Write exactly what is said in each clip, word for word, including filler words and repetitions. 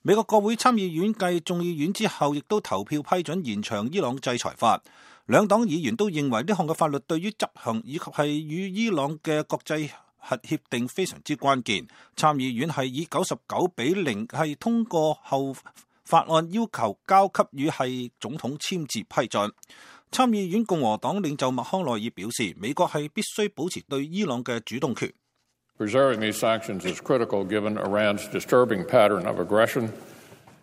美國國會參議院繼眾議院之後，亦都投票批准延長伊朗制裁法。兩黨議員都認為呢項嘅法律對於執行以及係與伊朗嘅國際核協定非常之關鍵。參議院係以九十九比零係通過後，法案要求交給予係總統簽字批准。參議院共和黨領袖麥康奈爾表示，美國係必須保持對伊朗嘅主動權。Preserving these sanctions is critical given Iran's disturbing pattern of aggression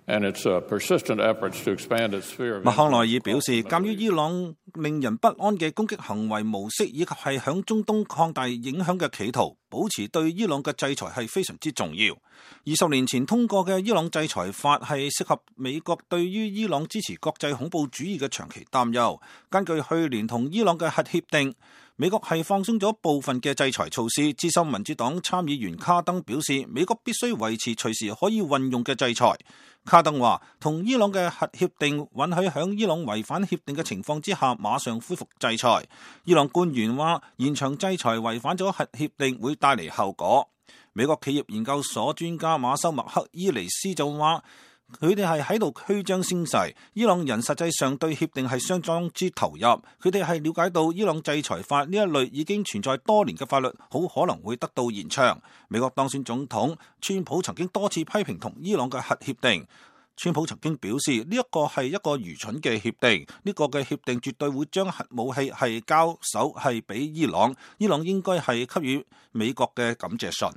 and its persistent efforts to expand its sphere of influence. 麥康奈爾表示，鑑於伊朗令人不安嘅攻擊行為模式，以及係響中東擴大影響嘅企圖，保持對伊朗嘅制裁係非常之重要。二十年前通過嘅伊朗制裁法係適合美國對於伊朗支持國際恐怖主義嘅長期擔憂。根據去年同伊朗嘅核協定，美國係放鬆咗部分嘅制裁措施。資深民主黨參議員卡登表示，美國必須維持隨時可以運用嘅制裁。卡登話，同伊朗嘅核協定允許響伊朗違反協定嘅情況之下馬上恢復制裁。伊朗官員話，延長制裁違反咗核協定會帶嚟後果。美國企業研究所專家馬修麥克伊尼斯就話，佢哋係喺度虛張聲勢，伊朗人實際上對協定係相當之投入。佢哋係了解到伊朗制裁法呢一類已經存在多年嘅法律，好可能會得到延長。美國當選總統川普曾經多次批評同伊朗嘅核協定。川普曾經表示，呢一個係一個愚蠢嘅協定，呢個嘅協定絕對會將核武器係交手係俾伊朗，伊朗應該係給予美國嘅感謝信。